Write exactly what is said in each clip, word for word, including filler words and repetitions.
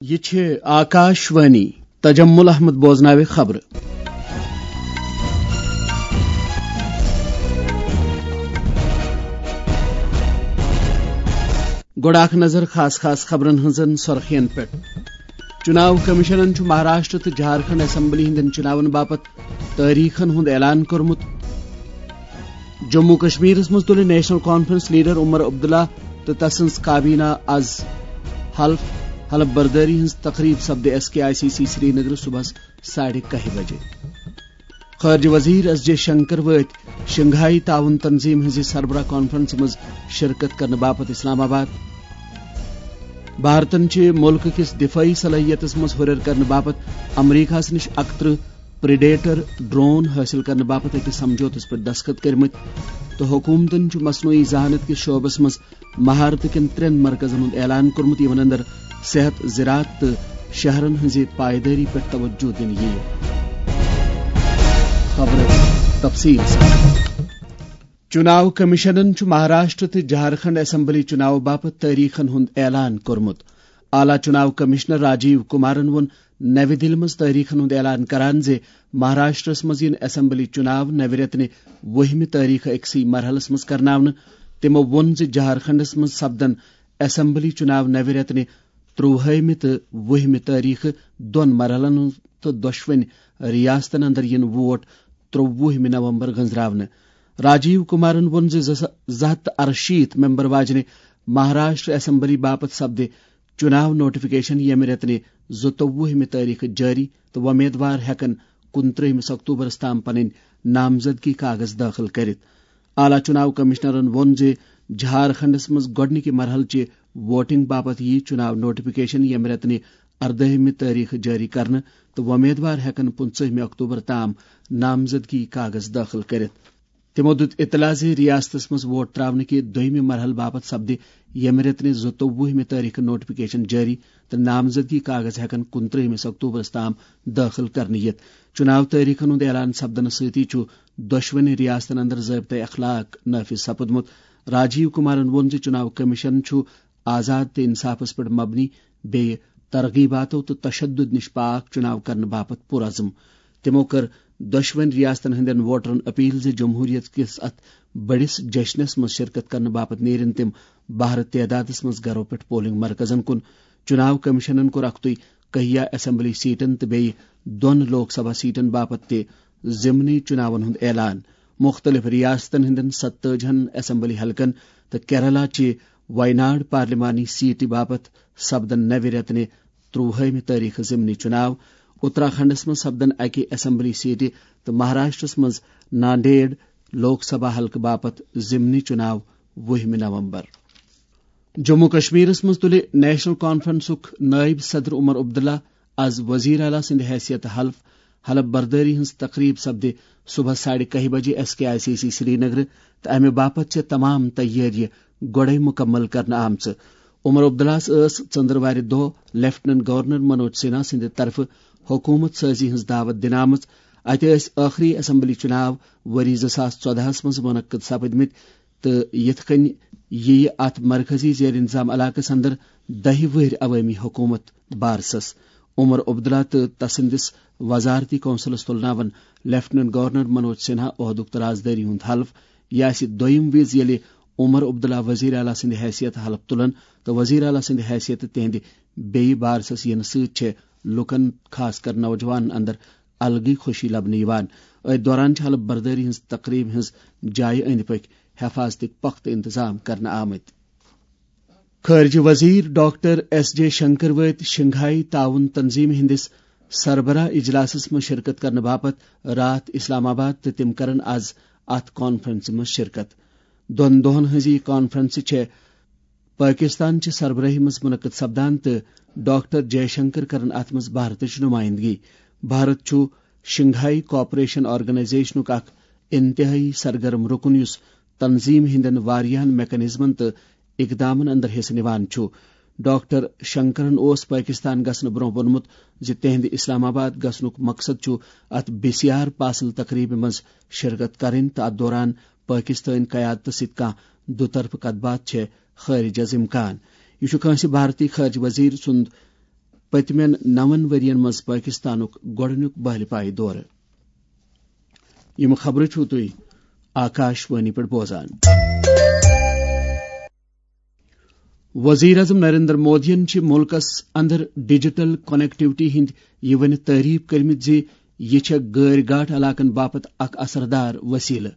یہِ چھِ آکاش وانی۔ تجمل احمد بوزناوِ خبرٕ۔ گۄڈٕ اکھ نظر خاص خاص خبرن ہٕنٛزن سرخین پٮ۪ٹھ۔ چُناو کمیشنن چھُ مہاراشٹر تہٕ جھارکھنڈ اسمبلی ہٕنٛدٮ۪ن چُناون باپتھ تٲریخن ہُنٛد اعلان کوٚرمُت۔ جموں کشمیرس منٛز تُلہِ national conference leader Omar Abdullah تہٕ تسٕنٛز کابینہ از حلف۔ حلف بردٲری ہٕنٛز تقریب سپدِ S K I C C Srinagar صبحس ساڑِ کاہہِ بجے۔ خارجہ وزیر ایس جے شنکر وٲتۍ شنگھائی تعاون تنظیم ہٕنٛزِ سربراہ کانفرنسہِ منٛز شرکت کرنہٕ باپتھ اسلام آباد۔ بھارتن چھِ مُلکہٕ کِس دفٲعی صلٲحیتس منٛز ہُرٮ۪ر کرنہٕ باپتھ امریکہس نِش اکترٕہ پریڈیٹر ڈرون حٲصِل کرنہٕ باپتھ أکِس سمجھوتس پٮ۪ٹھ دستخط کٔرمٕتۍ تہٕ حکوٗمتن چھُ مصنوعی ذہانت کِس شعبس منٛز مہارتہٕ کٮ۪ن ترٛٮ۪ن مرکزن ہُنٛد اعلان کوٚرمُت، یِمن اندر صحت، زراعت تہٕ شہرن ہٕنٛزِ پائیدٲری پٮ۪ٹھ توجہ دِنہٕ یِیہِ۔ خبرٕ تفصیٖل سان۔ چُناو کمیشنن چھُ مہاراشٹر تہٕ جھارکھنڈ اسمبلی چُناو باپتھ تٲریخن ہُنٛد اعلان کوٚرمُت۔ اعلیٰ چُناو کمشنر راجیو کمارن ووٚن نَوِ دِلہِ منٛز تٲریخن ہُنٛد اعلان کران زِ مہاراشٹرس منٛز یِن اسمبلی چُناو نَوِ رٮ۪تہٕ وُہمہِ تٲریخہٕ أکسٕے مرحلس منٛز کرناونہٕ۔ تِمو ووٚن زِ جھارکھنڈس منٛز سپدن اسمبلی چُناو نَوِ رٮ۪تہٕ ترٛووُہمہِ تہٕ وُہمہِ تٲریخہٕ دۄن مرحلن ہُنٛد تہٕ دۄشوٕنۍ ریاستن اندر یِن ووٹ ترٛووُہمہِ نومبر گنزراونہٕ۔ راجیو کمارن ووٚن زِ زٕ سا-، زٕ ہتھ تہٕ اَرٕشیٖتھ ممبر واجنہِ مہاراشٹر اسمبلی باپتھ سپدِ چُناو نوٹیفکیشن ییٚمہِ رٮ۪تہٕ زٕتووُہمہِ تٲریخہٕ جٲری تہٕ وۄمیدوار ہٮ۪کن کُنترٛہمِس اکتوبرس تام پنٕنۍ نامزدگی کاغذ دٲخل کٔرِتھ۔ اعلیٰ چُناو کمشنرن ووٚن زِ جھارکھنڈس منٛز گۄڈٕنِکہِ مرحلہٕ چہِ ووٹنگ باپتھ یِیہِ چُناو نوٹیفکیشن ییٚمہِ رٮ۪تہٕ اردٲہمہِ تٲریخہٕ جٲری کرنہٕ تہٕ وۄمیدوار ہٮ۪کن پٕنٛژٕہمہِ اکتوبر تام نامزدگی کاغذ دٲخل کٔرِتھ۔ تِمو دیُت اطلاع زِ ریاستس منٛز ووٹ تراونہٕ کہِ دوٚیمہِ مرحلہٕ باپتھ سپدِ ییٚمہِ رٮ۪تہٕ زٕتووُہمہِ تٲریخہٕ نوٹیفکیشن جٲری تہٕ نامزدگی کاغذ ہٮ۪کن کُنترٛہمِس اکتوبرس تام دٲخل کرنہٕ یِتھ۔ چُناو تٲریخن ہُنٛد اعلان سپدنہٕ سۭتی چھُ دۄشوٕنی ریاستن اندر ضٲبطہ اخلاق نافذ سپُدمُت۔ راجیو کمارن ووٚن زِ چُناو کمیشن چھُ آزاد تہٕ انصافس پٮ۪ٹھ مبنی، بیٚیہِ ترغیباتو تہٕ تشدد نِش پاک چُناو کرنہٕ باپتھ پُرعزم۔ تِمو کٔر دۄشوٕنۍ ریاستن ہٕنٛدٮ۪ن ووٹرن اپیل زِ جمہوریت کِس اتھ بٔڑِس جشنس منٛز شرکت کرنہٕ باپتھ نیرن تِم بہرٕ تعدادس منٛز گرو پٮ۪ٹھ پولنگ مرکزن کُن۔ چُناو کمیشنن کوٚر اکھتُے کہیا اسمبلی سیٹن تہٕ بیٚیہِ دۄن لوک سبھا سیٹن باپتھ تہِ ضمنی چُناون ہُنٛد اعلان۔ مُختٔلِف ریاستن ہٕنٛدٮ۪ن ستٲجہن اسمبلی حلقن تہٕ کیرالہ چہِ ویناڈ پارلیمانی سیٹہِ باپتھ سپدن نوِ رٮ۪تہٕ ترٛووُہمہِ تٲریخہٕ ضمنی چُناو۔ اتراکھنڈس منٛز سپدن اکہِ اسمبلی سیٹہِ تہٕ مہاراشٹرس منٛز نانڈیڈ لوک سبھا حلقہٕ باپتھ ضمنی چُناو وُہمہِ نومبر۔ جموں کشمیرس منٛز تُلہِ نیشنل کانفرنسُک نٲیِب صدر عمر عبداللہ از وزیر اعلیٰ سٕنٛدِ حیثیت حلف۔ حلف بردٲری ہٕنٛز تقریب سپدِ صبحس ساڑِ کاہہِ بجہِ S K I C C Srinagar تہٕ امہِ باپتھ چھِ تمام تیٲریہِ گۄڈَے مُکمل کرنہٕ آمژٕ۔ عمر عبداللہَس ٲس ژٔنٛدٕروارِ دۄہ لیفٹیننٹ گورنر منوج سنہا سٕنٛدِ طرفہٕ حکوٗمت سٲزی ہٕنٛز دعوت دِنہٕ آمٕژ۔ اَتہِ ٲسۍ ٲخری اسمبلی چُناو ؤری زٕ ساس ژۄدہَس منٛز منعقد سپٕدمٕتۍ تہٕ یِتھ کٔنۍ یِیہِ اَتھ مرکزی زیر انتظام علاقس اندر دَہہِ وٕہٕرۍ عوٲمی حکوٗمت بارسَس۔ عمر عبداللہ تہٕ تسٕنٛدِس وزارتی کونسلس تُلناون لیفٹیننٹ گورنر منوج سنہا عہدُک تہٕ رازدٲری ہُنٛد حلف۔ یہِ آسہِ دوٚیِم وِز ییٚلہِ عمر عبداللہ وزیر اعلیٰ سٕنٛدِ حیثیت حلف تُلن تہٕ وزیر اعلیٰ سٕنٛدِ حیثیت تِہنٛدِ بیٚیہِ بارسَس یِنہٕ سۭتۍ چھےٚ لوٗکن، خاص کر نوجوانن اندر الگٕے خوشی لبنہٕ یِوان۔ أتھۍ دوران چھِ حلف بردٲری ہٕنٛز تقریب ہٕنٛز جایہِ أنٛدۍ پٔکۍ حفاظتٕکۍ پختہٕ انتظام کرنہٕ آمٕتۍ۔ خارجہ وزیر ڈاکٹر ایس جے شنکر وٲتۍ شنگھائی تعاون تنظیم ہٕنٛدِس سربراہ اجلاسس منٛز شرکت کرنہٕ باپتھ راتھ اسلام آباد تہٕ تِم کرن از اتھ کانفرنسہِ منٛز شرکت۔ دۄن دۄہن ہٕنٛز یہِ کانفرنس چھےٚ پٲکستان چہِ سربرٲہی منٛز منعقد سپدان تہٕ ڈاکٹر جے شنکر کرن اتھ منٛز بھارتٕچ نمائندگی۔ بھارت چھُ شنگھائی کوآپریشن آرگنائزیشنُک اکھ انتہٲئی سرگرم رکن یُس تنظیم ہٕنٛدٮ۪ن واریاہن میکانزمن تہٕ اقدامن اندر حصہٕ نِوان چھُ۔ ڈاکٹر شنکرن اوس پٲکستان گژھنہٕ برٛونٛہہ ووٚنمُت زِ تِہنٛدِ اسلام آباد گژھنُک مقصد چھُ اتھ بی سی آر پاسل تقریبہِ منٛز شرکت کرٕنۍ تہٕ اتھ دوران پٲکستٲنۍ قیادتس سۭتۍ کانٛہہ دُطرفہٕ کتھ باتھ چھےٚ خارج از امکان۔ یہِ چھُ کٲنٛسہِ بھارتی خارجہ وزیر سُنٛد پٔتمٮ۪ن نَوَن ؤرین منٛز پٲکستانُک گۄڈٕنیُک بحلہِ پایہِ دورٕ۔ یِم خبرٕ چھِو تُہۍ آکاش وانی پٮ۪ٹھ بوزان۔ وزیر اعظم نریندر مودیَن چھِ مُلکَس اندر ڈیجیٹل کنیکٹیوٹی ہٕنٛدۍ یہِ ؤنِتھ تعریف کٔرمٕتۍ زِ یہِ چھےٚ غٲرۍ گاٹھ علاقن باپتھ اکھ اثردار وسیلہٕ۔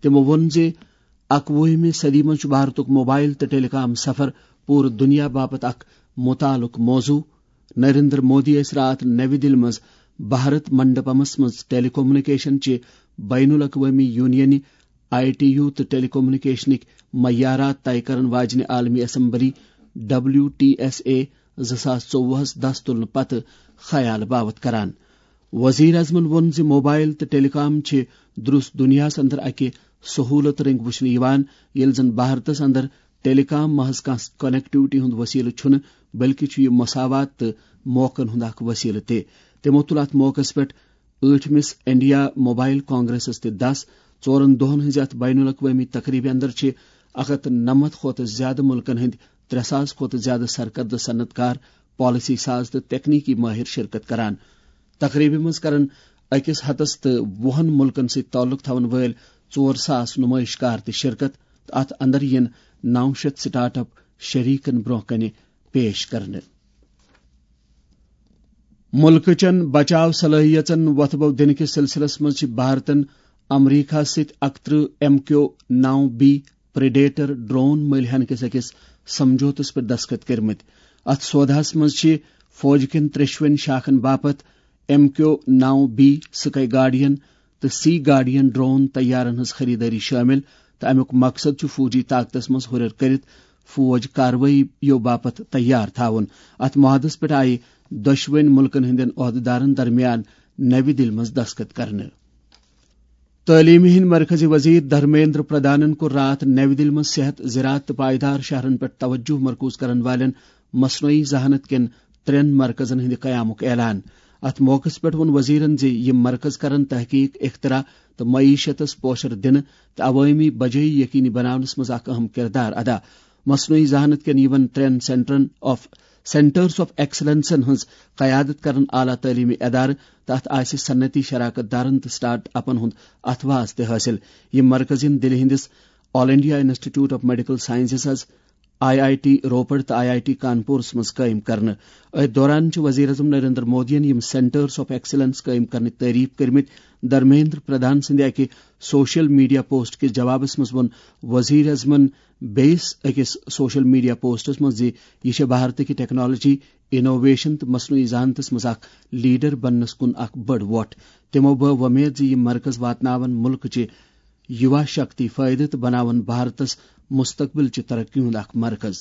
تِمَو ووٚن زِ اَکوُہمہِ صدی منٛز چھُ بھارتُک موبائل تہٕ ٹیلی کام سفر پوٗرٕ دُنیا باپتھ اکھ مُتعلُق موضوع۔ نریندر مودی ٲسۍ راتھ نَوِ دِلہِ منٛز بھارت منڈپمس منٛز ٹیلی کمیونیکیشن چہِ بین الاقوٲمی یونینہِ، آئی ٹی یو، تہٕ ٹیلی کمیونیکیشنٕکۍ معیارات طے کرن واجنہِ عالمی assembly, W T S A, زٕ ساس ژوٚوُہس دس تُلنہٕ پتہٕ خیال باوت کران۔ وزیر اعظمن ووٚن زِ موبائل تہٕ ٹیلی کام چھِ درست دُنیاہَس اندر اکہِ سہولت رنگۍ وٕچھنہٕ یِوان، ییٚلہِ زن بھارتس اندر ٹیلی کام محض کانٛہہ کنیکٹیوٹی ہُنٛد وسیلہٕ چھُنہٕ، بلکہِ چھُ یہِ مساوات تہٕ موقعن ہُنٛد اکھ وسیلہٕ تہِ۔ تِمَو تُل اَتھ موقعس پٮ۪ٹھ ٲٹھمِس انڈیا موبائل کانگریسس تہِ دَس۔ ژورن دۄہن ہٕنٛزِ اَتھ بین الاقوٲمی تقریبہِ اندر چھِ اکھ ہتھ نَمَتھ کھۄتہٕ زیادٕ مُلکن ہٕنٛدۍ ترٛےٚ ساس کھۄتہٕ زیادٕ سرکردٕ صنعت کار، پالیسی ساز تہٕ تکنیکی ماہر شرکت کران۔ تقریبہِ منٛز کرن أکِس ہتس تہٕ وُہن مُلکن سۭتۍ تعلق تھاون وٲلۍ ژور ساس نمٲیش کار تہِ شرکت تہٕ اتھ اندر یِن نو شیٚتھ سٹارٹ اپ شریکن برونٛہہ کنہِ پیش کرنہٕ۔ مُلکہٕ چٮ۪ن بچاو صلٲحیژن وۄتھٕ بو دِنہٕ کِس سلسلس منٛز چھِ بھارتن امریکہ سۭتۍ اکترٕہ ایم کیو نو بی پریڈیٹر ڈرون مٔلۍ ہینہٕ کِس أکِس سمجھوتس پٮ۪ٹھ دستخط کٔرمٕتۍ۔ اتھ سوداہس منٛز چھِ فوج کٮ۪ن ترٛیشوٕنۍ شاخن باپتھ ایم کیو نو بی سکائی گارڈین تہٕ سی گارڈین ڈرون طیارن ہٕنٛز خریدٲری شٲمِل، تہٕ امیُک مقصد چھُ فوجی طاقتس منٛز ہُرٮ۪ر کٔرِتھ فوج کاروٲیی یو باپتھ تیار تھاوُن۔ اتھ معاہدس پٮ۪ٹھ آیہِ دۄشوٕنۍ مُلکن ہٕنٛدٮ۪ن عہدٕدارن درمیان نَوِ دِلہِ منٛز دستخط کرنہٕ۔ تعلیمہِ ہٕنٛدۍ مرکزی وزیر دھرمیندر پردھانن کوٚر راتھ نَوِ دِلہِ منٛز صحت، زراعت تہٕ پائیدار شہرن پٮ۪ٹھ توجہ مرکوز کرن والٮ۪ن مصنوعی ذہانت کٮ۪ن ترٛٮ۪ن مرکزن ہٕنٛدِ قیامُک اعلان۔ اتھ موقعس پٮ۪ٹھ ووٚن وزیرن زِ یِم مرکز کرن تحقیق، اختراع تہٕ معیشتس پوشر دِنہٕ تہٕ عوٲمی بجٲیی یقینی بناونس منٛز اکھ اہم کردار ادا۔ مصنوعی ذہانت کٮ۪ن یِمن ترٛٮ۪ن سینٹرن آف، سینٹرز آف ایکسلنسن ہٕنٛز قیادت کرن اعلیٰ تعلیمی ادارٕ تہٕ اتھ آسہِ صنعتی شراکت دارن تہٕ سٹارٹ اپن ہُنٛد اتھواز تہِ حٲصِل۔ یِم مرکز یِن دِلہِ ہٕنٛدِس all India institute of medical sciences, I I T Ropar تہٕ آئی آئی ٹی کانپورس منٛز قٲیِم کرنہٕ۔ أتھۍ دوران چھُ وزیر اعظم نریندر مودیَن یِم سینٹرز آف ایکسلنس قٲیِم کرنٕچ تعریف کٔرمٕتۍ۔ دھرمیندر پردھان سٕنٛدِ اکہِ سوشل میڈیا پوسٹ کِس جوابس منٛز ووٚن وزیر اعظمن بیٚیِس أکِس سوشل میڈیا پوسٹس منٛز زِ یہِ چھےٚ بھارتٕکہِ ٹیکنالوجی، انوویشن تہٕ مصنوعی ذہانتس منٛز اکھ لیڈر بننس کُن اکھ بٔڑ وۄٹھ۔ تِمو بٲو وۄمید زِ یِم مرکز واتناون مُلکٕچہِ یُوا شکتی فٲیدٕ تہٕ بناون بھارتس مستقبل چہِ ترقی ہُنٛد اکھ مرکز۔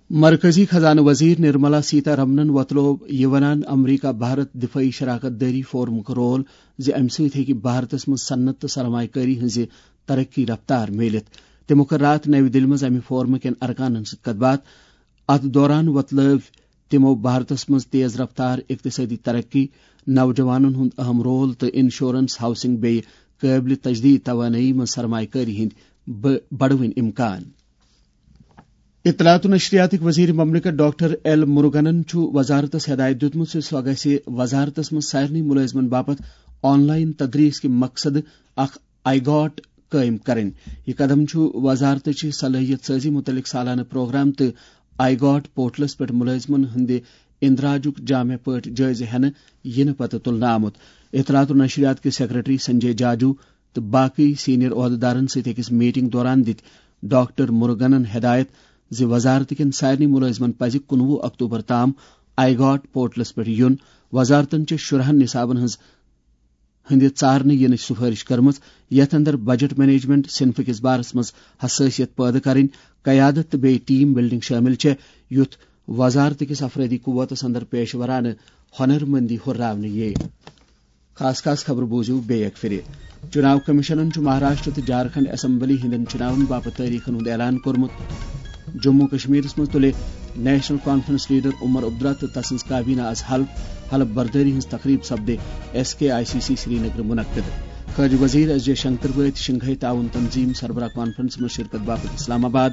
مرکزی خزانہٕ وزیر نرملا سیتا رمنن وۄتلوو یہِ ونان امریکہ بھارت دفٲعی شراکت دٲری فورمُک رول زِ امہِ سۭتۍ ہیٚکہِ بھارتس منٛز صنعت تہٕ سرمایہ کٲری ہٕنٛزِ ترقی رفتار میٖلِتھ۔ تِمو کٔر راتھ نَوِ دِلہِ منٛز امہِ فورمہٕ کٮ۪ن ارکانن سۭتۍ کتھ باتھ۔ اتھ دوران وۄتلٲوۍ تِمو بھارتس منٛز تیز رفتار اقتصٲدی ترقی، نوجوانن ہُنٛد اہم رول تہٕ انشورنس، ہاؤسنگ بیٚیہِ قٲبلِ تجدید توانٲیی منٛز سرمایہ کٲری ہٕنٛدۍ بٔ-، بڑوٕنۍ امکان۔ اطلاعات و نشریاتٕکۍ وزیر مملکت ڈاکٹر ایل مرگنن چھُ وزارتس ہدایت دیُتمُت زِ سۄ گژھِ وزارتس منٛز سارنٕے مُلٲزمن باپتھ آن لائن تدریس کہِ مقصد اکھ آئی گاٹ قٲیِم کرٕنۍ۔ یہِ قدم چھُ وزارتٕچہِ صلٲحیت سٲزی مُتعلق سالانہٕ پروگرام تہٕ آئی گاٹ پورٹلس پٮ۪ٹھ مُلٲزمن ہٕنٛدِ اندراجُک جامع پٲٹھۍ جٲیزٕ ہٮ۪نہٕ یِنہٕ پتہٕ تُلنہٕ آمُت۔ اطلاعات و نشریات کِس سیکرٹری سنجے جاجو تہٕ باقٕے سینئر عہدٕدارن سۭتۍ أکِس میٹنگ دوران دِتۍ ڈاکٹر مرگنن ہدایت زِ وزارت کٮ۪ن سارنٕے مُلٲزمن پزِ کُنوُہ اکتوبر تام آئی گاٹ پورٹلس پٮ۪ٹھ یُن۔ وزارتن چھِ شُرہن نصابن ہٕنٛز ہٕنٛدِ ژارنہٕ یِنٕچ سُفٲرِش کٔرمٕژ، یَتھ اندر بجٹ مینجمنٹ صنفہٕ کِس بارس منٛز حساسیت پٲدٕ کرٕنۍ، قیادت تہٕ بیٚیہِ ٹیم بلڈنگ شٲمِل چھےٚ، یُتھ وزارت کِس افرٲدی قوتس اندر پیشورانہٕ ہۄنرمندی ہُرراونہٕ یِیہِ۔ خاص خاص خبرٕ بوٗزِو بیٚیہِ اکہِ پھِرِ۔ چُناو کمیشنن چھُ مہاراشٹر تہٕ جھارکھنڈ اسمبلی ہٕنٛدٮ۪ن چُناون باپتھ تٲریخن ہُنٛد اعلان کوٚرمُت۔ جموں کشمیرس منٛز تُلہِ national conference leader Omar Abdullah تہٕ تسٕنٛز کابینہ از حلف۔ حلف بردٲری ہٕنٛز تقریب سپدِ S K I C C Srinagar منعقد۔ خارجہ وزیر ایس جے شنکر وٲتۍ شنگھائی تعاون تنظیم سربراہ کانفرنس منٛز شرکت باپتھ اسلام آباد۔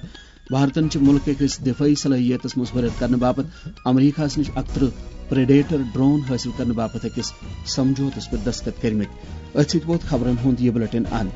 بھارتن چھِ مُلکہٕ کِس دِفٲعی صلٲحیتس منٛز ہُرٮ۪ر کرنہٕ باپتھ امریکہس نِش اکترٕہ پریڈیٹر ڈرون حٲصِل کرنہٕ باپتھ أکِس سمجھوتس پٮ۪ٹھ دستخط کٔرمٕتۍ۔ أتھۍ سۭتۍ ووت خبرن ہُنٛد یہِ بلیٹن اند۔